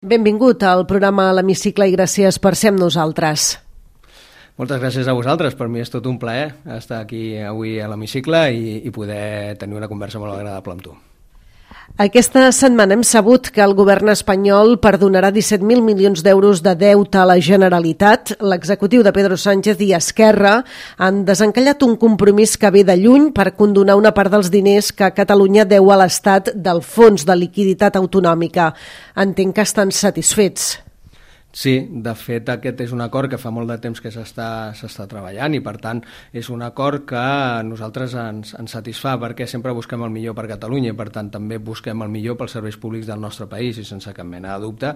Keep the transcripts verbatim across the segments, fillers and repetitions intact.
Benvingut al programa a l'Hemicicle i gràcies per ser amb nosaltres. Moltes gràcies a vosaltres, per mi és tot un plaer estar aquí avui a l'Hemicicle i, i poder tenir una conversa molt agradable amb tu. Aquesta setmana hem sabut que el govern espanyol perdonarà disset mil milions d'euros de deute a la Generalitat. L'executiu de Pedro Sánchez i Esquerra han desencallat un compromís que ve de lluny per condonar una part dels diners que Catalunya deu a l'Estat del Fons de Liquiditat Autonòmica. Entenc que estan satisfets. Sí, de fet aquest és un acord que fa molt de temps que s'està s'està treballant i per tant és un acord que a nosaltres ens, ens satisfà perquè sempre busquem el millor per Catalunya i per tant també busquem el millor pels serveis públics del nostre país i sense cap mena de dubte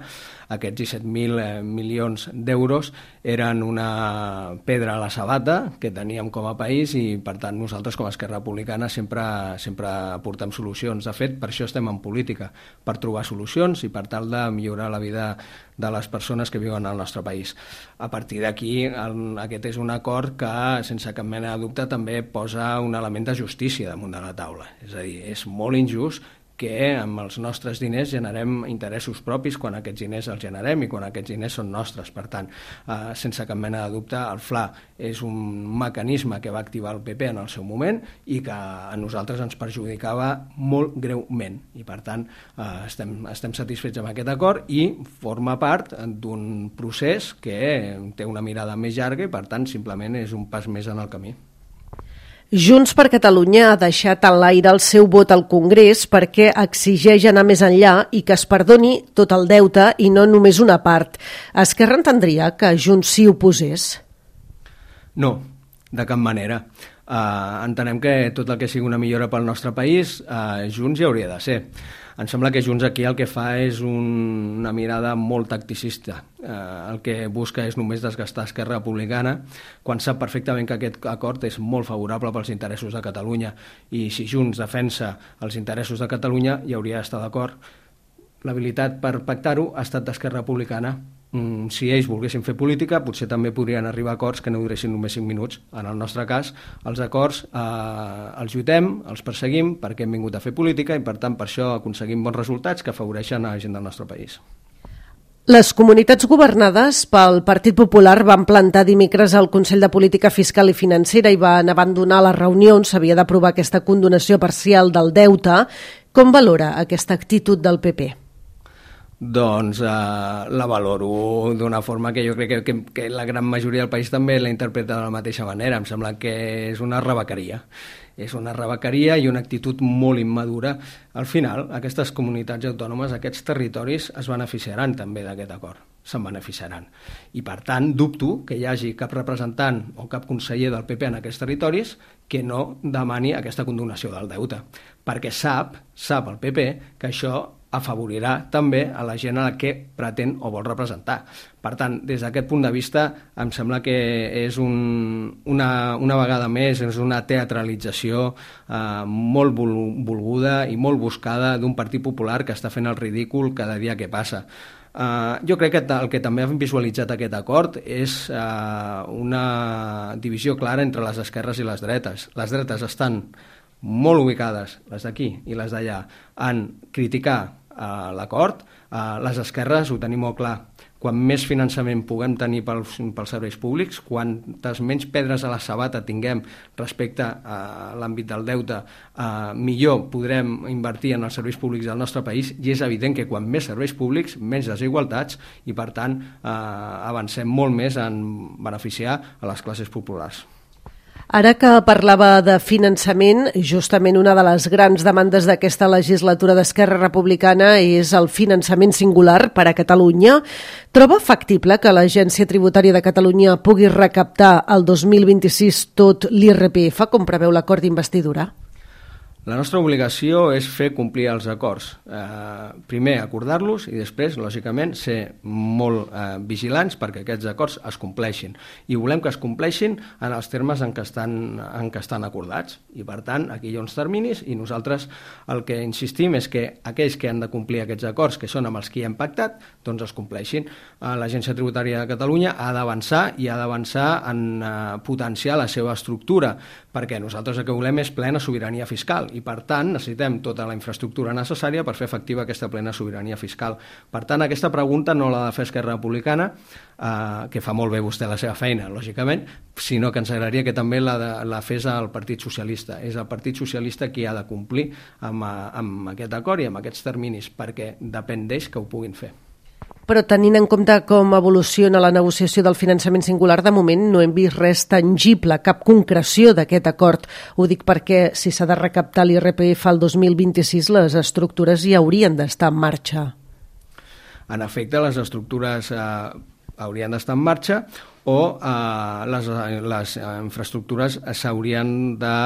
aquests disset mil milions d'euros eren una pedra a la sabata que teníem com a país i per tant nosaltres com a Esquerra Republicana sempre, sempre aportem solucions. De fet, per això estem en política, per trobar solucions i per tal de millorar la vida de les persones que viuen al nostre país. A partir d'aquí, aquest és un acord que, sense cap mena de dubte, també posa un element de justícia damunt de la taula. És a dir, és molt injust que amb els nostres diners generem interessos propis quan aquests diners els generem i quan aquests diners són nostres. Per tant, eh, sense cap mena de dubte, el F L A és un mecanisme que va activar el P P en el seu moment i que a nosaltres ens perjudicava molt greument. I per tant, eh, estem, estem satisfets amb aquest acord i forma part d'un procés que té una mirada més llarga i per tant simplement és un pas més en el camí. Junts per Catalunya ha deixat en l'aire el seu vot al Congrés perquè exigeix anar més enllà i que es perdoni tot el deute i no només una part. Esquerra entendria que Junts s'hi oposés? No, de cap manera. Uh, entenem que tot el que sigui una millora pel nostre país, uh, Junts hi hauria de ser. Em sembla que Junts aquí el que fa és un, una mirada molt tacticista. Eh, el que busca és només desgastar Esquerra Republicana, quan sap perfectament que aquest acord és molt favorable pels interessos de Catalunya. I si Junts defensa els interessos de Catalunya, hi hauria d'estar d'acord. L'habilitat per pactar-ho ha estat d'Esquerra Republicana. Mm, si ells volguessin fer política, potser també podrien arribar a acords que no duressin només cinc minuts. En el nostre cas, els acords eh, els lluitem, els perseguim, perquè hem vingut a fer política i per tant per això aconseguim bons resultats que afavoreixen a la gent del nostre país. Les comunitats governades pel Partit Popular van plantar dimecres al Consell de Política Fiscal i Financera i van abandonar la reunió on s'havia d'aprovar aquesta condonació parcial del deute. Com valora aquesta actitud del P P? Doncs eh, la valoro d'una forma que jo crec que, que, que la gran majoria del país també la interpreta de la mateixa manera. Em sembla que és una rebequeria. És una rebequeria i una actitud molt immadura. Al final, aquestes comunitats autònomes, aquests territoris es beneficiaran també d'aquest acord. Se'n beneficiaran. I per tant, dubto que hi hagi cap representant o cap conseller del P P en aquests territoris que no demani aquesta condonació del deute. Perquè sap, sap el P P que això afavorirà també a la gent a la que pretén o vol representar. Per tant, des d'aquest punt de vista, em sembla que és un, una, una vegada més és una teatralització eh, molt volguda i molt buscada d'un Partit Popular que està fent el ridícul cada dia que passa. Uh, jo crec que el que també ha visualitzat aquest acord és uh, una divisió clara entre les esquerres i les dretes. Les dretes estan molt ubicades, les d'aquí i les d'allà, en criticar uh, l'acord. Uh, les esquerres ho tenim molt clar. Quan més finançament puguem tenir pels, pels serveis públics, quantes menys pedres a la sabata tinguem respecte a l'àmbit del deute, eh, millor podrem invertir en els serveis públics del nostre país i és evident que quan més serveis públics, menys desigualtats i per tant eh, avancem molt més en beneficiar a les classes populars. Ara que parlava de finançament, justament una de les grans demandes d'aquesta legislatura d'Esquerra Republicana és el finançament singular per a Catalunya. Troba factible que l'Agència Tributària de Catalunya pugui recaptar el dos mil vint-i-sis tot l'I R P F, com preveu l'acord d'investidura? La nostra obligació és fer complir els acords. Eh, primer acordar-los i després, lògicament, ser molt eh, vigilants perquè aquests acords es compleixin. I volem que es compleixin en els termes en què estan, en què estan acordats. I, per tant, aquí hi ha uns terminis i nosaltres el que insistim és que aquells que han de complir aquests acords, que són amb els que hi hem pactat, doncs es compleixin. Eh, L'Agència Tributària de Catalunya ha d'avançar i ha d'avançar en eh, potenciar la seva estructura, perquè nosaltres el que volem és plena sobirania fiscal i per tant necessitem tota la infraestructura necessària per fer efectiva aquesta plena sobirania fiscal. Per tant, aquesta pregunta no l'ha de fer Esquerra Republicana, eh, que fa molt bé vostè la seva feina, lògicament, sinó que ens agradaria que també la, de, la fes el Partit Socialista. És el Partit Socialista qui ha de complir amb, amb aquest acord i amb aquests terminis, perquè depèn d'ells que ho puguin fer. Però tenint en compte com evoluciona la negociació del finançament singular, de moment no hem vist res tangible, cap concreció d'aquest acord. Ho dic perquè si s'ha de recaptar l'I R P F al dos mil vint-i-sis, les estructures ja haurien d'estar en marxa. En efecte, les estructures eh, haurien d'estar en marxa o eh, les, les infraestructures s'haurien de,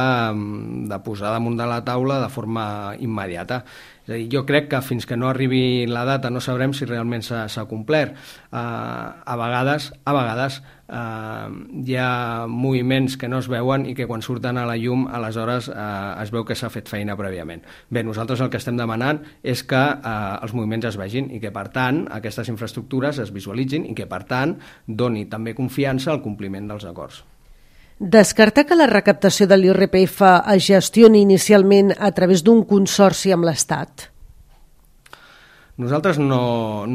de posar damunt de la taula de forma immediata. És a dir, jo crec que fins que no arribi la data no sabrem si realment s'ha complert. Uh, a vegades, a vegades uh, hi ha moviments que no es veuen i que quan surten a la llum aleshores uh, es veu que s'ha fet feina prèviament. Bé, nosaltres el que estem demanant és que uh, els moviments es vegin i que per tant aquestes infraestructures es visualitzin i que per tant doni també confiança al compliment dels acords. Descartar que la recaptació de l'I R P F es gestioni inicialment a través d'un consorci amb l'Estat? Nosaltres no,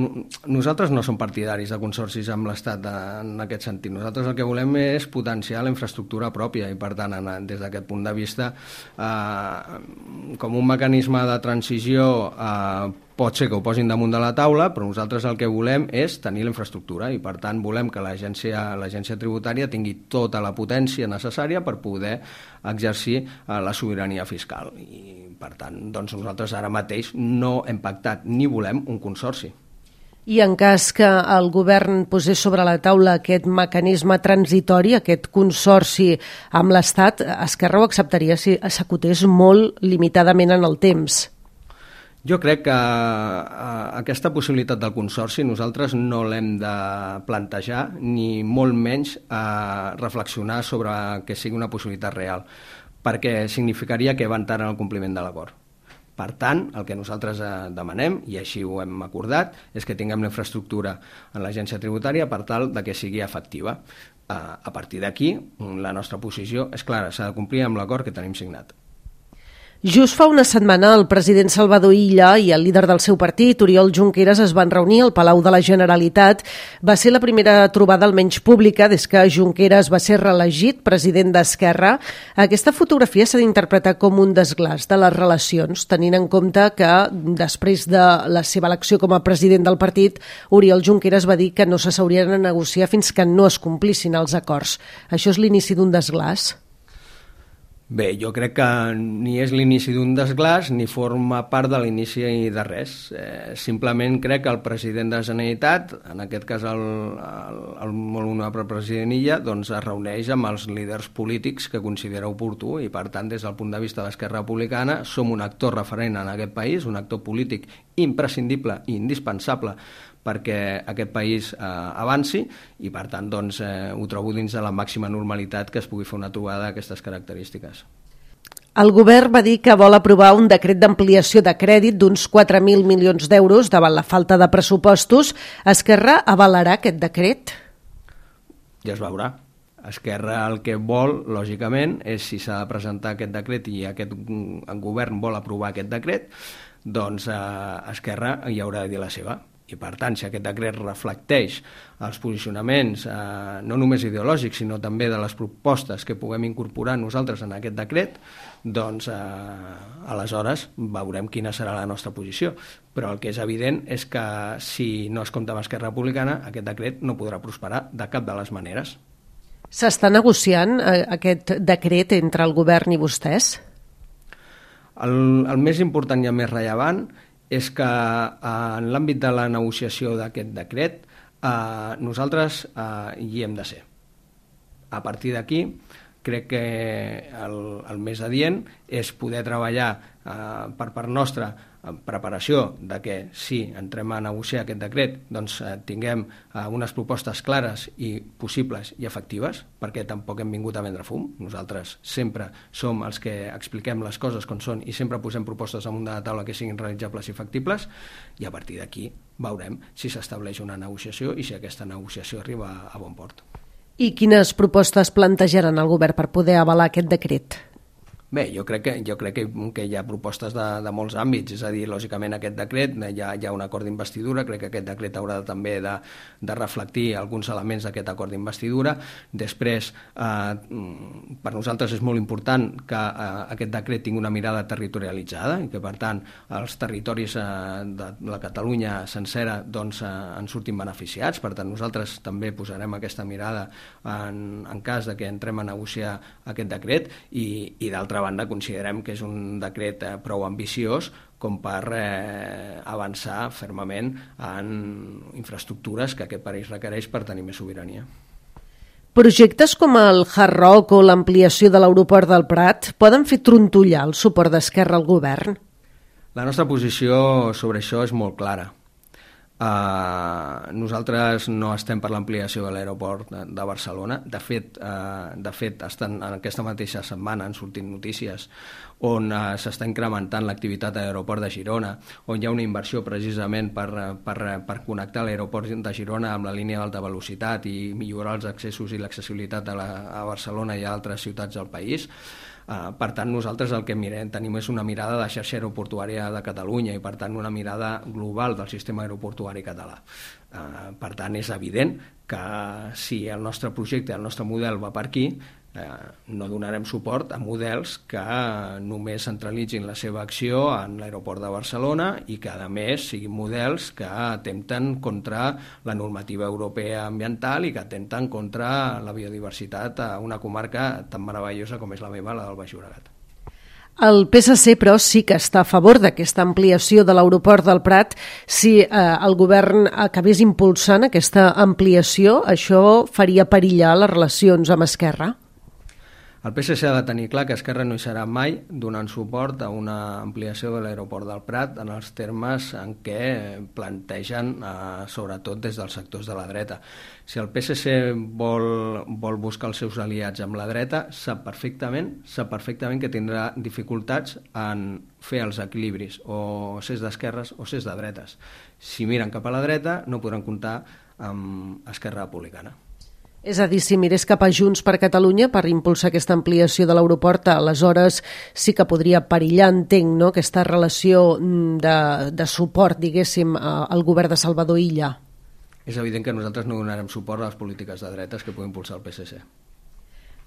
nosaltres no som partidaris de consorcis amb l'Estat en aquest sentit. Nosaltres el que volem és potenciar la infraestructura pròpia i, per tant, des d'aquest punt de vista, eh, com un mecanisme de transició eh, pot ser que ho posin damunt de la taula, però nosaltres el que volem és tenir la infraestructura i, per tant, volem que l'agència l'agència tributària tingui tota la potència necessària per poder exercir eh, la sobirania fiscal. I, per tant, doncs nosaltres ara mateix no hem pactat ni volem un consorci. I en cas que el govern posés sobre la taula aquest mecanisme transitori, aquest consorci amb l'Estat, Esquerra ho acceptaria si s'acotés molt limitadament en el temps? Jo crec que uh, aquesta possibilitat del consorci nosaltres no l'hem de plantejar ni molt menys uh, reflexionar sobre que sigui una possibilitat real, perquè significaria que va entrar en el compliment de l'acord. Per tant, el que nosaltres uh, demanem, i així ho hem acordat, és que tinguem la infraestructura en l'agència tributària per tal de que sigui efectiva. Uh, a partir d'aquí, la nostra posició és clara, s'ha de complir amb l'acord que tenim signat. Just fa una setmana el president Salvador Illa i el líder del seu partit, Oriol Junqueras, es van reunir al Palau de la Generalitat. Va ser la primera trobada almenys pública des que Junqueras va ser reelegit president d'Esquerra. Aquesta fotografia s'ha d'interpretar com un desglaç de les relacions, tenint en compte que després de la seva elecció com a president del partit, Oriol Junqueras va dir que no s'asseurien a negociar fins que no es complissin els acords. Això és l'inici d'un desglaç? Bé, jo crec que ni és l'inici d'un desglaç ni forma part de l'inici de res. Eh, simplement crec que el president de la Generalitat, en aquest cas el, el, el molt honorable president Illa, doncs es reuneix amb els líders polítics que considera oportú i, per tant, des del punt de vista de l'Esquerra Republicana, som un actor referent en aquest país, un actor polític imprescindible i indispensable perquè aquest país eh, avanci i, per tant, doncs, eh, ho trobo dins de la màxima normalitat que es pugui fer una trobada d'aquestes característiques. El govern va dir que vol aprovar un decret d'ampliació de crèdit d'uns quatre mil milions d'euros davant la falta de pressupostos. Esquerra avalarà aquest decret? Ja es veurà. Esquerra el que vol, lògicament, és si s'ha de presentar aquest decret i aquest govern vol aprovar aquest decret, doncs eh, Esquerra hi haurà de dir la seva. I, per tant, si aquest decret reflecteix els posicionaments eh, no només ideològics, sinó també de les propostes que puguem incorporar nosaltres en aquest decret, doncs eh, aleshores veurem quina serà la nostra posició. Però el que és evident és que si no es compta amb Esquerra Republicana, aquest decret no podrà prosperar de cap de les maneres. S'està negociant eh, aquest decret entre el govern i vostès? El, el més important i el més rellevant és que en l'àmbit de la negociació d'aquest decret eh, nosaltres eh, hi hem de ser. A partir d'aquí, crec que el, el més adient és poder treballar eh, per part nostra en preparació de que si entrem a negociar aquest decret doncs eh, tinguem eh, unes propostes clares i possibles i efectives, perquè tampoc hem vingut a vendre fum. Nosaltres sempre som els que expliquem les coses com són i sempre posem propostes damunt de la taula que siguin realitzables i factibles, i a partir d'aquí veurem si s'estableix una negociació i si aquesta negociació arriba a bon port. I quines propostes plantejaran el govern per poder avalar aquest decret? Bé, jo crec que, jo crec que, que hi ha propostes de, de molts àmbits, és a dir, lògicament aquest decret, hi ha, hi ha un acord d'investidura, crec que aquest decret haurà de, també de, de reflectir alguns elements d'aquest acord d'investidura. Després, eh, per nosaltres és molt important que eh, aquest decret tingui una mirada territorialitzada i que, per tant, els territoris eh, de la Catalunya sencera doncs, eh, en surtin beneficiats. Per tant, nosaltres també posarem aquesta mirada en, en cas de que entrem a negociar aquest decret i, i d'altra banda considerem que és un decret eh, prou ambiciós com per eh, avançar fermament en infraestructures que aquest país requereix per tenir més sobirania. Projectes com el Hard Rock o l'ampliació de l'aeroport del Prat poden fer trontollar el suport d'Esquerra al govern? La nostra posició sobre això és molt clara. Uh, nosaltres no estem per l'ampliació de l'aeroport de, de Barcelona. De fet, uh, de fet estan, en aquesta mateixa setmana han sortit notícies on uh, s'està incrementant l'activitat a l'aeroport de Girona, on hi ha una inversió precisament per, per, per connectar l'aeroport de Girona amb la línia d'alta velocitat i millorar els accessos i l'accessibilitat a, la, a Barcelona i a altres ciutats del país. Uh, per tant, nosaltres el que mirem, tenim és una mirada de xarxa aeroportuària de Catalunya i, per tant, una mirada global del sistema aeroportuari català. Uh, per tant, és evident que si el nostre projecte, el nostre model va per aquí, eh, no donarem suport a models que només centralitzin la seva acció en l'aeroport de Barcelona i que, a més, siguin models que atempten contra la normativa europea ambiental i que atempten contra la biodiversitat a una comarca tan meravellosa com és la meva, la del Baix Llobregat. El P S C, però, sí que està a favor d'aquesta ampliació de l'aeroport del Prat. Si eh, el govern acabés impulsant aquesta ampliació, això faria perillar les relacions amb Esquerra? El P S C ha de tenir clar que Esquerra no hi serà mai donant suport a una ampliació de l'aeroport del Prat en els termes en què plantegen, eh, sobretot des dels sectors de la dreta. Si el P S C vol, vol buscar els seus aliats amb la dreta, sap perfectament, sap perfectament que tindrà dificultats en fer els equilibris, o ses d'esquerres o ses de dretes. Si miren cap a la dreta, no podran comptar amb Esquerra Republicana. És a dir, si mirés cap a Junts per Catalunya per impulsar aquesta ampliació de l'aeroport, aleshores sí que podria perillar, entenc, no?, aquesta relació de, de suport, diguéssim, al govern de Salvador Illa. És evident que nosaltres no donarem suport a les polítiques de dretes que pugui impulsar el P S C.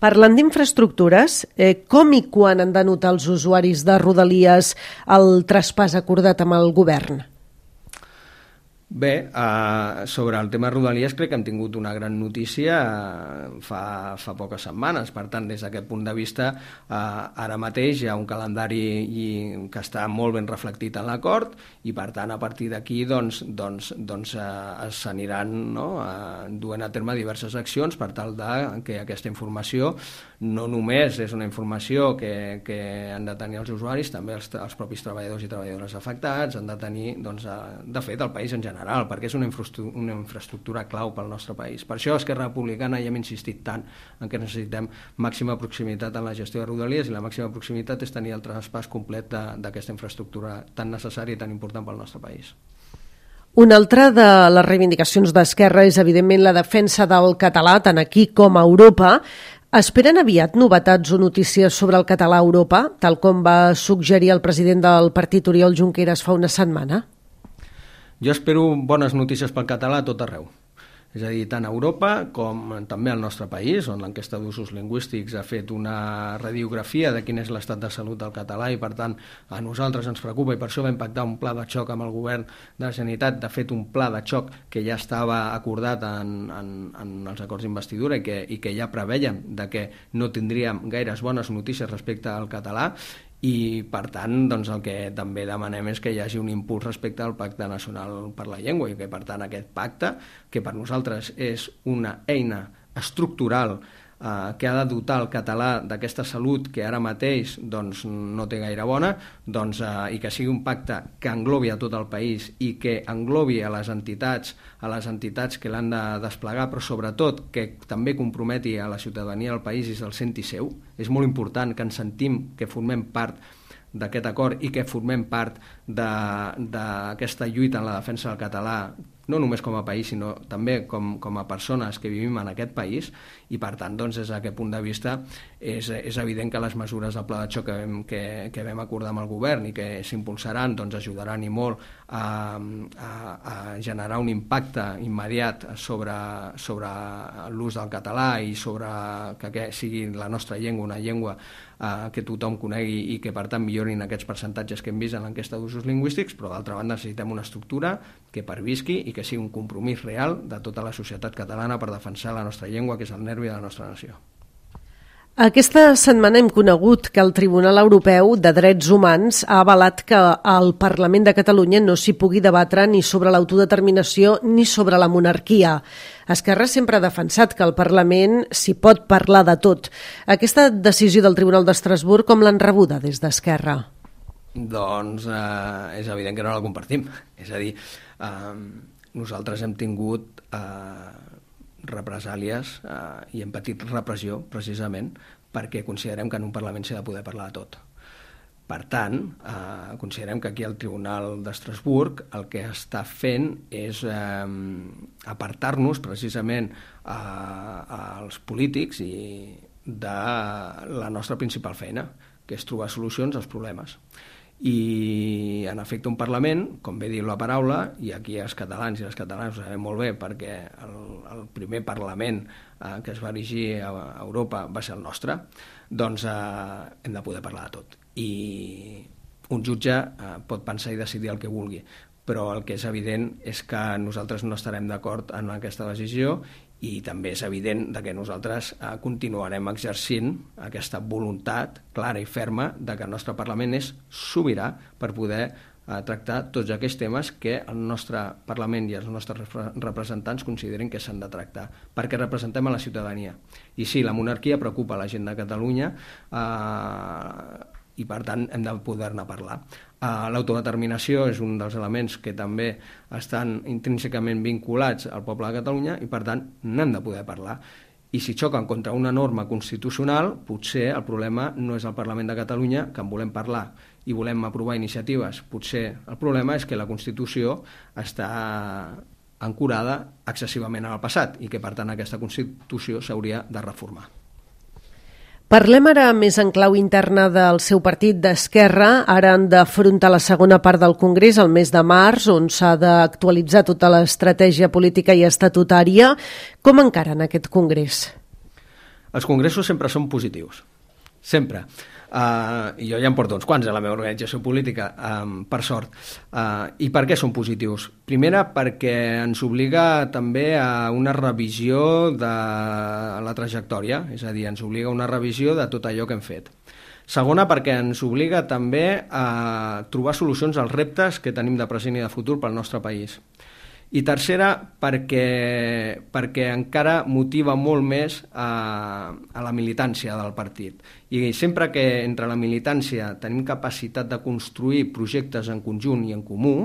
Parlant d'infraestructures, eh, com i quan han de notar els usuaris de Rodalies el traspàs acordat amb el govern? Bé, eh, sobre el tema Rodalies crec que hem tingut una gran notícia eh, fa, fa poques setmanes. Per tant, des d'aquest punt de vista, eh, ara mateix hi ha un calendari i, que està molt ben reflectit en l'acord i, per tant, a partir d'aquí doncs, doncs, doncs, eh, s'aniran, no?, eh, duent a terme diverses accions per tal de que aquesta informació no només és una informació que, que han de tenir els usuaris, també els, els propis treballadors i treballadores afectats, han de tenir, doncs, de fet, el país en general, perquè és una infraestructura, una infraestructura clau pel nostre país. Per això, Esquerra Republicana, ja hem insistit tant en que necessitem màxima proximitat en la gestió de Rodalies, i la màxima proximitat és tenir el traspàs complet d'aquesta infraestructura tan necessària i tan important pel nostre país. Una altra de les reivindicacions d'Esquerra és, evidentment, la defensa del català, tant aquí com a Europa. Esperen aviat novetats o notícies sobre el català a Europa, tal com va suggerir el president del partit Oriol Junqueras fa una setmana? Jo espero bones notícies pel català a tot arreu. És a dir, tant a Europa com també al nostre país, on l'enquesta d'usos lingüístics ha fet una radiografia de quin és l'estat de salut del català i, per tant, a nosaltres ens preocupa i per això vam pactar un pla de xoc amb el govern de la Generalitat, de fet un pla de xoc que ja estava acordat en, en, en els acords d'investidura i que, i que ja preveien de que no tindríem gaires bones notícies respecte al català. I, per tant, doncs, el que també demanem és que hi hagi un impuls respecte al Pacte Nacional per la Llengua i que, per tant, aquest pacte, que per nosaltres és una eina estructural eh, que ha de dotar el català d'aquesta salut que ara mateix doncs, no té gaire bona, doncs, eh, i que sigui un pacte que englobi a tot el país i que englobi a les entitats, a les entitats que l'han de desplegar, però sobretot que també comprometi a la ciutadania del país i se'l senti seu. És molt important que ens sentim que formem part d'aquest acord i que formem part d'aquesta lluita en la defensa del català no només com a país, sinó també com, com a persones que vivim en aquest país, i per tant, doncs, des d'aquest punt de vista és, és evident que les mesures del pla de xoc que vam, que, que vam acordar amb el govern i que s'impulsaran doncs, ajudaran i molt a, a, a generar un impacte immediat sobre, sobre l'ús del català i sobre que, que sigui la nostra llengua una llengua eh, que tothom conegui i que per tant millorin aquests percentatges que hem vist en l'enquesta d'usos lingüístics, però d'altra banda necessitem una estructura que pervisqui i que sigui un compromís real de tota la societat catalana per defensar la nostra llengua, que és el nervi de la nostra nació. Aquesta setmana hem conegut que el Tribunal Europeu de Drets Humans ha avalat que al Parlament de Catalunya no s'hi pugui debatre ni sobre l'autodeterminació ni sobre la monarquia. Esquerra sempre ha defensat que al Parlament s'hi pot parlar de tot. Aquesta decisió del Tribunal d'Estrasburg com l'han rebuda des d'Esquerra? Doncs eh, és evident que no la compartim. És a dir, eh, nosaltres hem tingut eh, represàlies eh, i hem patit repressió precisament perquè considerem que en un Parlament s'ha de poder parlar de tot. Per tant, eh, considerem que aquí el Tribunal d'Estrasburg el que està fent és eh, apartar-nos precisament eh, als polítics i de la nostra principal feina, que és trobar solucions als problemes. I en efecte un Parlament, com bé diu la paraula, i aquí els catalans i les catalanes ho sabem molt bé perquè el, el primer Parlament eh, que es va erigir a Europa va ser el nostre, doncs eh, hem de poder parlar de tot. I un jutge eh, pot pensar i decidir el que vulgui, però el que és evident és que nosaltres no estarem d'acord en aquesta decisió i també és evident que nosaltres eh, continuarem exercint aquesta voluntat clara i ferma de que el nostre Parlament és sobirà per poder eh, tractar tots aquells temes que el nostre Parlament i els nostres representants considerin que s'han de tractar, perquè representem a la ciutadania. I sí, la monarquia preocupa la gent de Catalunya eh, i per tant hem de poder-ne parlar. Uh, l'autodeterminació és un dels elements que també estan intrínsecament vinculats al poble de Catalunya i per tant n'hem de poder parlar. I si xoquen contra una norma constitucional, potser el problema no és el Parlament de Catalunya, que en volem parlar i volem aprovar iniciatives. Potser el problema és que la Constitució està ancorada excessivament en el passat i que per tant aquesta Constitució s'hauria de reformar. Parlem ara més en clau interna del seu partit d'Esquerra. Ara han d'afrontar la segona part del Congrés, el mes de març, on s'ha d'actualitzar tota l'estratègia política i estatutària. Com encaren aquest Congrés? Els congressos sempre són positius, sempre. Uh, jo ja em porto uns quants a la meva organització política, um, per sort. Uh, I per què són positius? Primera, perquè ens obliga també a una revisió de la trajectòria, és a dir, ens obliga a una revisió de tot allò que hem fet. Segona, perquè ens obliga també a trobar solucions als reptes que tenim de present i de futur pel nostre país. I tercera, perquè, perquè encara motiva molt més a, a la militància del partit. I sempre que entre la militància tenim capacitat de construir projectes en conjunt i en comú,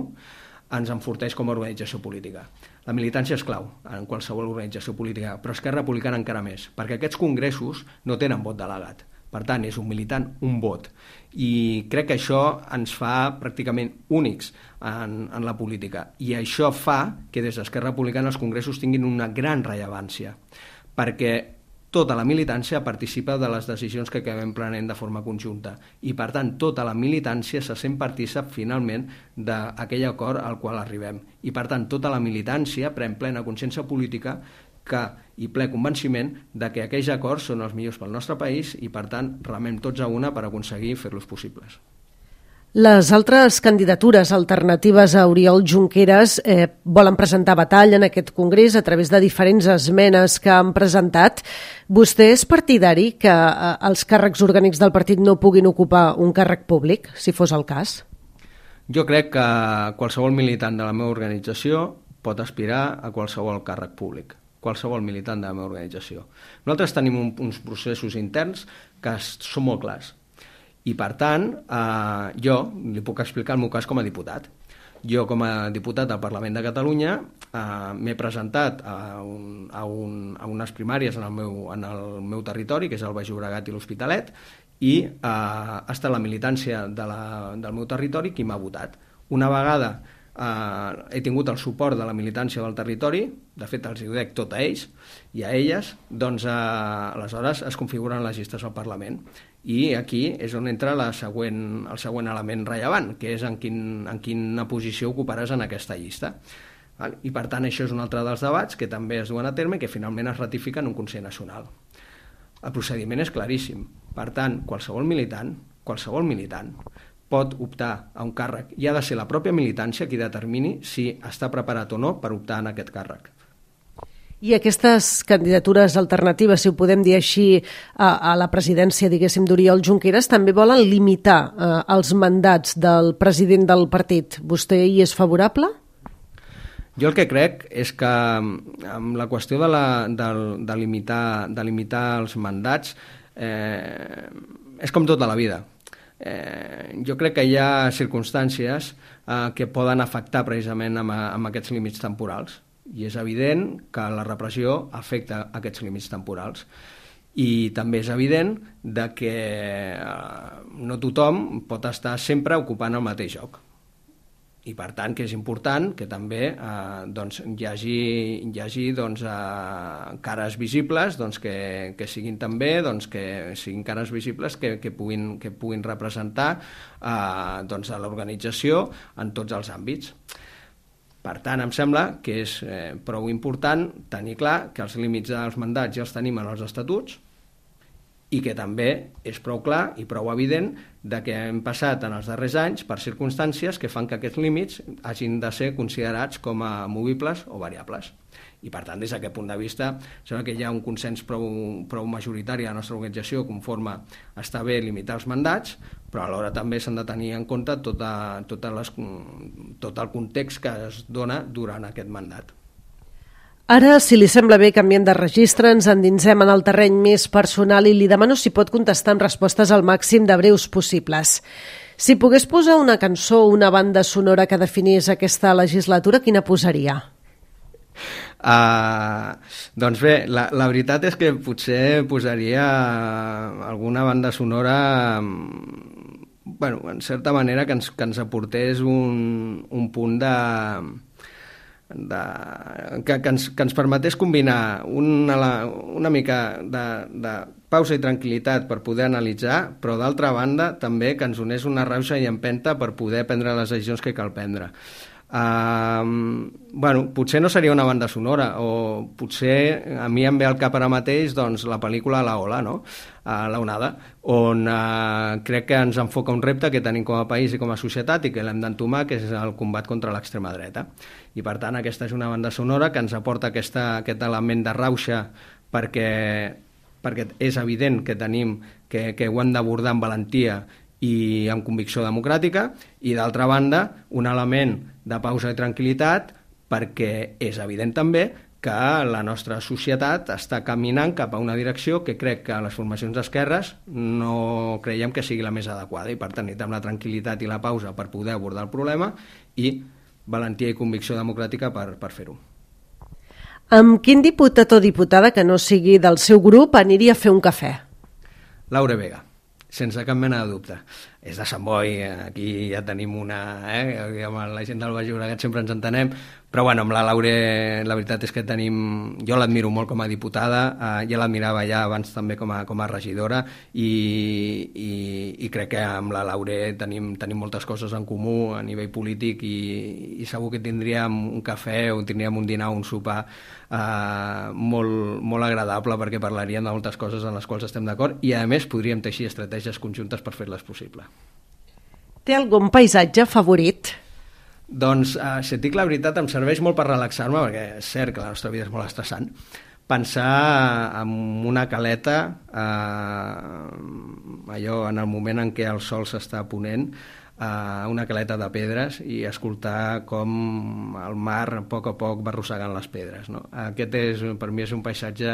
ens enforteix com a organització política. La militància és clau en qualsevol organització política, però Esquerra Republicana encara més, perquè aquests congressos no tenen vot delegat. Per tant, és un militant, un vot. I crec que això ens fa pràcticament únics en, en la política. I això fa que des d'Esquerra Republicana els congressos tinguin una gran rellevància, perquè tota la militància participa de les decisions que acabem prenent de forma conjunta. I, per tant, tota la militància se sent partícip finalment d'aquell acord al qual arribem. I, per tant, tota la militància pren plena consciència política que i ple convenciment de que aquells acords són els millors pel nostre país i, per tant, remem tots a una per aconseguir fer-los possibles. Les altres candidatures alternatives a Oriol Junqueras eh, volen presentar batalla en aquest congrés a través de diferents esmenes que han presentat. Vostè és partidari que eh, els càrrecs orgànics del partit no puguin ocupar un càrrec públic, si fos el cas? Jo crec que qualsevol militant de la meva organització pot aspirar a qualsevol càrrec públic. Qualsevol militant de la meva organització. Nosaltres tenim un, uns processos interns que són molt clars. I, per tant, eh, jo li puc explicar el meu cas com a diputat. Jo, com a diputat del Parlament de Catalunya, eh, m'he presentat a, un, a, un, a unes primàries en el, meu, en el meu territori, que és el Baix Llobregat i l'Hospitalet, i eh, ha estat la militància de la, del meu territori qui m'ha votat. Una vegada eh, he tingut el suport de la militància del territori, de fet els ho dec tot a ells i a elles, doncs eh, aleshores es configuren les llistes al Parlament. I aquí és on entra la següent, el següent element rellevant, que és en, quin, en quina posició ocuparàs en aquesta llista. I per tant això és un altre dels debats que també es duen a terme i que finalment es ratifica en un Consell Nacional. El procediment és claríssim. Per tant, qualsevol militant, qualsevol militant pot optar a un càrrec i ha de ser la pròpia militància qui determini si està preparat o no per optar en aquest càrrec. I aquestes candidatures alternatives, si ho podem dir així, a, a la presidència, diguéssim, d'Oriol Junqueras, també volen limitar eh, els mandats del president del partit. Vostè hi és favorable? Jo el que crec és que amb la qüestió de, la, de, de, limitar, de limitar els mandats eh, és com tota la vida. Eh, jo crec que hi ha circumstàncies eh, que poden afectar precisament amb, amb aquests límits temporals i és evident que la repressió afecta aquests límits temporals i també és evident de que eh, no tothom pot estar sempre ocupant el mateix lloc. I per tant que és important que també eh, doncs, hi hagi, hi hagi doncs, eh, cares visibles doncs, que, que siguin també doncs, que siguin cares visibles que, que, puguin, que puguin representar eh, doncs, a l'organització en tots els àmbits. Per tant, em sembla que és eh, prou important tenir clar que els límits dels mandats ja els tenim en els estatuts i que també és prou clar i prou evident de que hem passat en els darrers anys per circumstàncies que fan que aquests límits hagin de ser considerats com a movibles o variables. I per tant, des d'aquest punt de vista, sembla que hi ha un consens prou, prou majoritari a la nostra organització conforme està bé limitar els mandats, però alhora també s'han de tenir en compte tota, tota les, tot el context que es dona durant aquest mandat. Ara, si li sembla bé, canviem de registre, ens endinsem en el terreny més personal i li demano si pot contestar amb respostes al màxim de breus possibles. Si pogués posar una cançó o una banda sonora que definís aquesta legislatura, quina posaria? Uh, doncs bé, la, la veritat és que potser posaria alguna banda sonora, bueno, en certa manera que ens, que ens aportés un, un punt de... De, que, que, ens, que ens permetés combinar una, una mica de, de pausa i tranquil·litat per poder analitzar, però d'altra banda també que ens unés una rauxa i empenta per poder prendre les decisions que cal prendre. Uh, bueno, potser no seria una banda sonora, o potser a mi em ve al cap ara mateix doncs, la pel·lícula La Ola, no? uh, La Onada, on uh, crec que ens enfoca un repte que tenim com a país i com a societat i que l'hem d'entomar, que és el combat contra l'extrema dreta. I per tant aquesta és una banda sonora que ens aporta aquesta, aquest element de rauxa perquè, perquè és evident que tenim que, que ho hem d'abordar amb valentia i amb convicció democràtica, i d'altra banda un element de pausa i tranquil·litat perquè és evident també que la nostra societat està caminant cap a una direcció que crec que les formacions d'esquerres no creiem que sigui la més adequada, i per tant necessitem la tranquil·litat i la pausa per poder abordar el problema i valentia i convicció democràtica per, per fer-ho. Amb quin diputat o diputada que no sigui del seu grup aniria a fer un cafè? Laura Vega, sense cap mena de dubte. És de Sant Boi, aquí ja tenim una... Eh? Amb la gent del Baix Llobregat sempre ens entenem, però bueno, amb la Laura la veritat és que tenim... Jo l'admiro molt com a diputada, eh, ja l'admirava ja abans també com a, com a regidora, i, i, i crec que amb la Laura tenim, tenim moltes coses en comú a nivell polític, i, i segur que tindríem un cafè o tindríem un dinar o un sopar eh, molt, molt agradable, perquè parlaríem de moltes coses en les quals estem d'acord, i a més podríem teixir estratègies conjuntes per fer-les possible. Té algun paisatge favorit? Doncs, eh, si et dic la veritat, em serveix molt per relaxar-me, perquè és cert que la nostra vida és molt estressant. Pensar en una caleta, eh, allò en el moment en què el sol s'està ponent, eh, una caleta de pedres, i escoltar com el mar a poc a poc va arrossegant les pedres, no? Aquest és, per mi és un paisatge,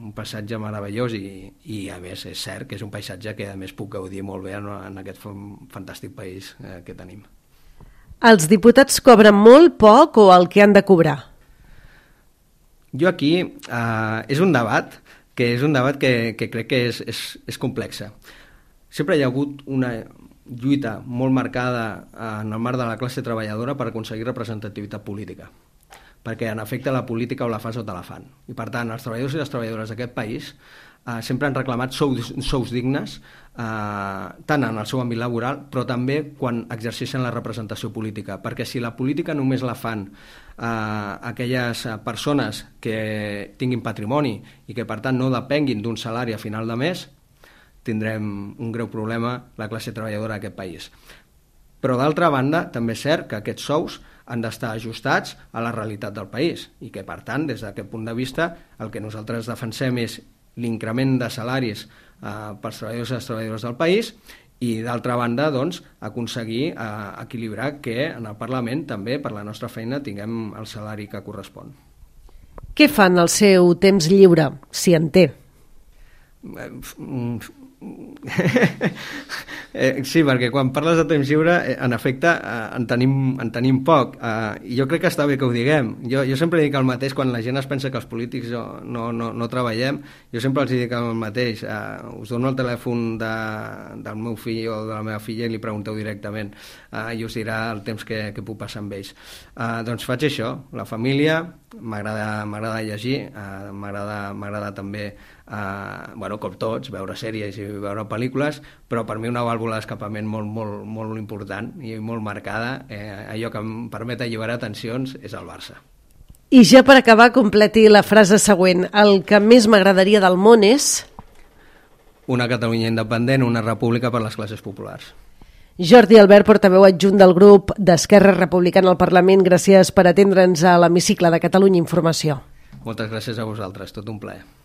un paisatge meravellós, i, i a més és cert que és un paisatge que a més puc gaudir molt bé en, en aquest fantàstic país eh, que tenim. Els diputats cobren molt, poc o el que han de cobrar? Jo aquí, eh, és un debat que és un debat que, que crec que és, és, és complex. Sempre hi ha hagut una, lluita molt marcada en el marc de la classe treballadora per aconseguir representativitat política, perquè en efecte la política o la fas o te la fan. I per tant, els treballadors i les treballadores d'aquest país eh, sempre han reclamat sous, sous dignes, eh, tant en el seu àmbit laboral, però també quan exerceixen la representació política, perquè si la política només la fan eh, aquelles persones que tinguin patrimoni i que per tant no depenguin d'un salari a final de mes, tindrem un greu problema la classe treballadora d'aquest país. Però d'altra banda, també és cert que aquests sous han d'estar ajustats a la realitat del país i que, per tant, des d'aquest punt de vista, el que nosaltres defensem és l'increment de salaris eh, pels treballadors i les treballadores del país i, d'altra banda, doncs, aconseguir eh, equilibrar que en el Parlament també, per la nostra feina, tinguem el salari que correspon. Què fan al seu temps lliure, si en té? eh, sí, perquè quan parles de temps lliure, eh, en efecte, eh, en, tenim, en tenim poc. Eh, I jo crec que està bé que ho diguem. Jo, jo sempre dic el mateix, quan la gent es pensa que els polítics no, no, no treballem, jo sempre els dic el mateix. Eh, us dono el telèfon de, del meu fill o de la meva filla i li pregunteu directament eh, i us dirà el temps que, que puc passar amb ells. Eh, doncs faig això, la família, m'agrada llegir, eh, m'agrada també Uh, bueno, com tots, veure sèries i veure pel·lícules, però per mi una vàlvula d'escapament molt, molt, molt important i molt marcada, eh, allò que em permet alliberar tensions és el Barça. I ja per acabar, completi la frase següent. El que més m'agradaria del món és... Una Catalunya independent, una república per les classes populars. Jordi Albert, portaveu adjunt del grup d'Esquerra Republicana al Parlament, gràcies per atendre'ns a l'hemicicle de Catalunya Informació. Moltes gràcies a vosaltres, tot un plaer.